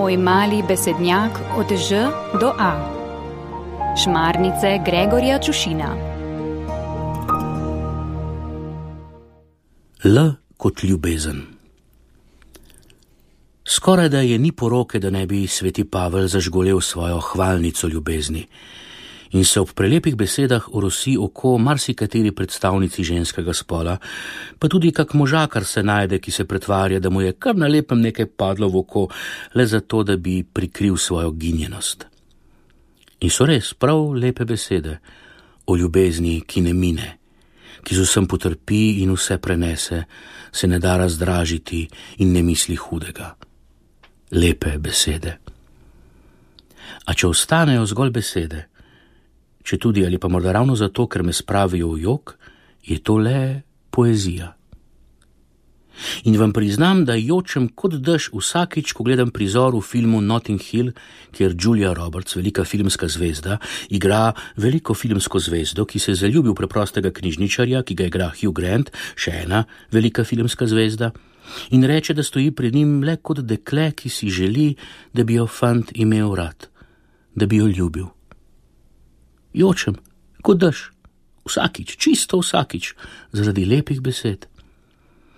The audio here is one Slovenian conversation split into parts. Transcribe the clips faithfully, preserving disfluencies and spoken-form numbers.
Moj mali besednjak od Ž do A. Šmarnice Gregorja Čušina. L kot ljubezen. Skoraj da je ni poroke, da ne bi sveti Pavel zažgolel svojo hvalnico ljubezni in se ob prelepih besedah orosi oko marsikateri predstavnici ženskega spola, pa tudi kak možakar se najde, ki se pretvarja, da mu je kar na lepem nekaj padlo v oko, le zato, da bi prikril svojo ginjenost. In so res prav lepe besede o ljubezni, ki ne mine, ki z vsem potrpi in vse prenese, se ne da razdražiti in ne misli hudega. Lepe besede. A če ostanejo zgolj besede, če tudi ali pa morda ravno zato, ker me spravijo v jok, je to le poezija. In vam priznam, da jočem kot dež vsakič, ko gledam prizor v filmu Notting Hill, kjer Julia Roberts, velika filmska zvezda, igra veliko filmsko zvezdo, ki se zaljubi v preprostega knjižničarja, ki ga igra Hugh Grant, še ena velika filmska zvezda, in reče, da stoji pred njim le kot dekle, ki si želi, da bi jo fant imel rad, da bi jo ljubil. Jočem, kot dež, vsakič, čisto vsakič, zaradi lepih besed.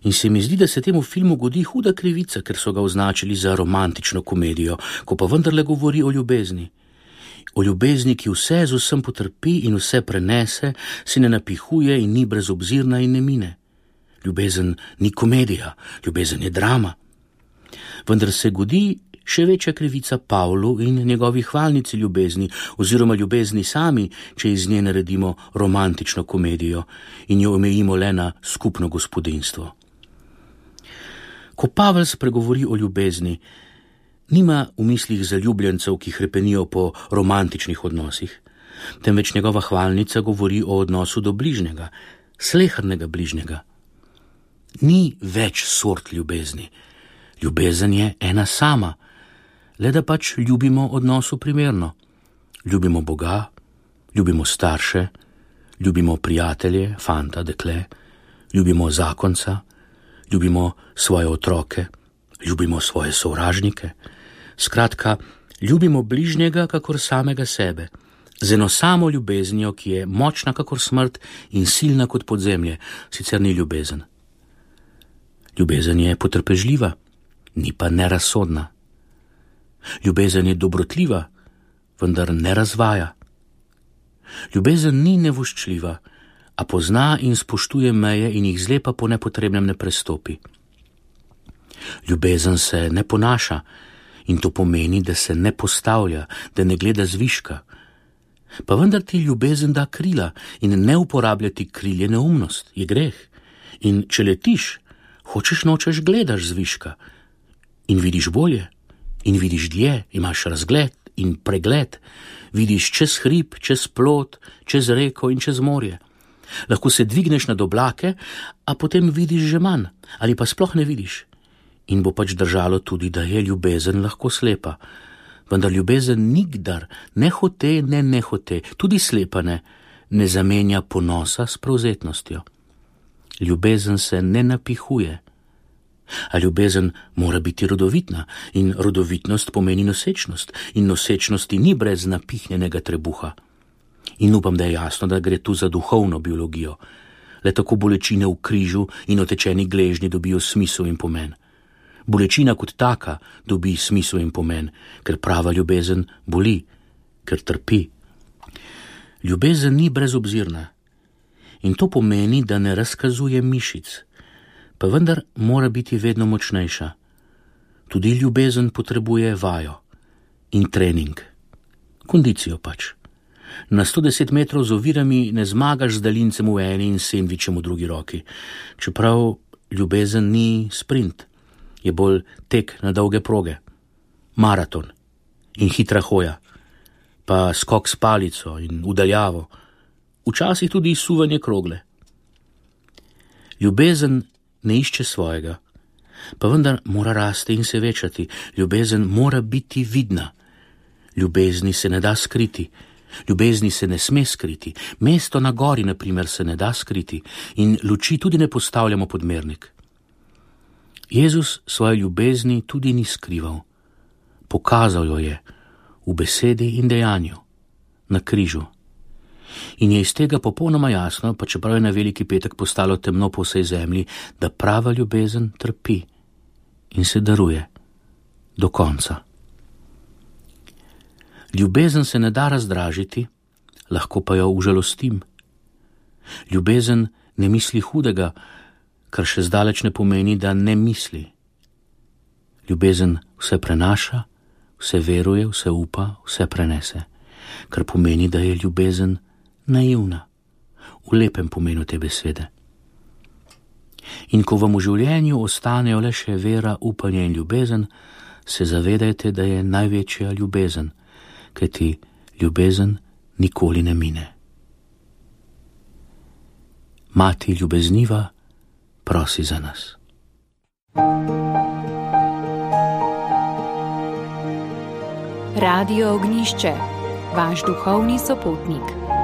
In se mi zdi, da se temu filmu godi huda krivica, ker so ga označili za romantično komedijo, ko pa vendarle govori o ljubezni. O ljubezni, ki vse z vsem potrpi in vse prenese, se ne napihuje in ni brezobzirna in ne mine. Ljubezen ni komedija, ljubezen je drama. Vendar se godi še večja krivica Pavlu in njegovi hvalnici ljubezni, oziroma ljubezni sami, če iz nje naredimo romantično komedijo in jo omejimo le na skupno gospodinjstvo. Ko Pavel spregovori o ljubezni, nima v mislih zaljubljencev, ki hrepenijo po romantičnih odnosih, temveč njegova hvalnica govori o odnosu do bližnjega, slehernega bližnjega. Ni več sort ljubezni. Ljubezen je ena sama, le da pač ljubimo odnosu primerno. Ljubimo Boga, ljubimo starše, ljubimo prijatelje, fanta, dekle, ljubimo zakonca, ljubimo svoje otroke, ljubimo svoje sovražnike. Skratka, ljubimo bližnjega kakor samega sebe, z eno samo ljubeznijo, ki je močna kakor smrt in silna kot podzemlje, sicer ni ljubezen. Ljubezen je potrpežljiva, ni pa nerazsodna. Ljubezen je dobrotljiva, vendar ne razvaja. Ljubezen ni nevoščljiva, a pozna in spoštuje meje in jih zlepa po nepotrebnem ne prestopi. Ljubezen se ne ponaša in to pomeni, da se ne postavlja, da ne gleda zviška. Pa vendar ti ljubezen da krila in ne uporabljati krilje neumnost, je greh. In če letiš, hočeš nočeš gledaš zviška in vidiš bolje in vidiš dlje, imaš razgled in pregled, vidiš čez hrib, čez plot, čez reko in čez morje. Lahko se dvigneš nad oblake, a potem vidiš že manj ali pa sploh ne vidiš. In bo pač držalo tudi, da je ljubezen lahko slepa. Vendar ljubezen nikdar, ne hote, ne nehote, tudi slepa ne, ne zamenja ponosa s prevzetnostjo. Ljubezen se ne napihuje. A ljubezen mora biti rodovitna in rodovitnost pomeni nosečnost in nosečnosti ni brez napihnjenega trebuha. In upam, da je jasno, da gre tu za duhovno biologijo. Le tako bolečine v križu in otečeni gležnji dobijo smisel in pomen. Bolečina kot taka dobi smisel in pomen, ker prava ljubezen boli, ker trpi. Ljubezen ni brezobzirna. In to pomeni, da ne razkazuje mišic, pa vendar mora biti vedno močnejša. Tudi ljubezen potrebuje vajo in trening. Kondicijo pač. Na sto deset metrov z ovirami ne zmagaš z daljincem v eni in sendvičem v drugi roki. Čeprav ljubezen ni sprint, je bolj tek na dolge proge, maraton in hitra hoja, pa skok s palico in udaljavo, včasih tudi suvanje krogle. Ljubezen ne išče svojega, pa vendar mora rasti in se večati. Ljubezen mora biti vidna. Ljubezni se ne da skriti. Ljubezni se ne sme skriti. Mesto na gori, na primer, se ne da skriti in luči tudi ne postavljamo pod mernik. Jezus svoje ljubezni tudi ni skrival, Pokazal jo je v besedi in dejanju, na križu. In je iz tega popolnoma jasno, pa čeprav je na veliki petek postalo temno po vsej zemlji, da prava ljubezen trpi in se daruje do konca. Ljubezen se ne da razdražiti, lahko pa jo užalostim. Ljubezen ne misli hudega, kar še zdaleč ne pomeni, da ne misli. Ljubezen vse prenaša, vse veruje, vse upa, vse prenese, kar pomeni, da je ljubezen naivna, v lepem pomenu te besede. In ko vam v življenju ostanejo le še vera, upanje in ljubezen, se zavedajte, da je največja ljubezen, kajti ljubezen nikoli ne mine. Mati ljubezniva, prosi za nas. Radio Ognjišče, vaš duhovni sopotnik.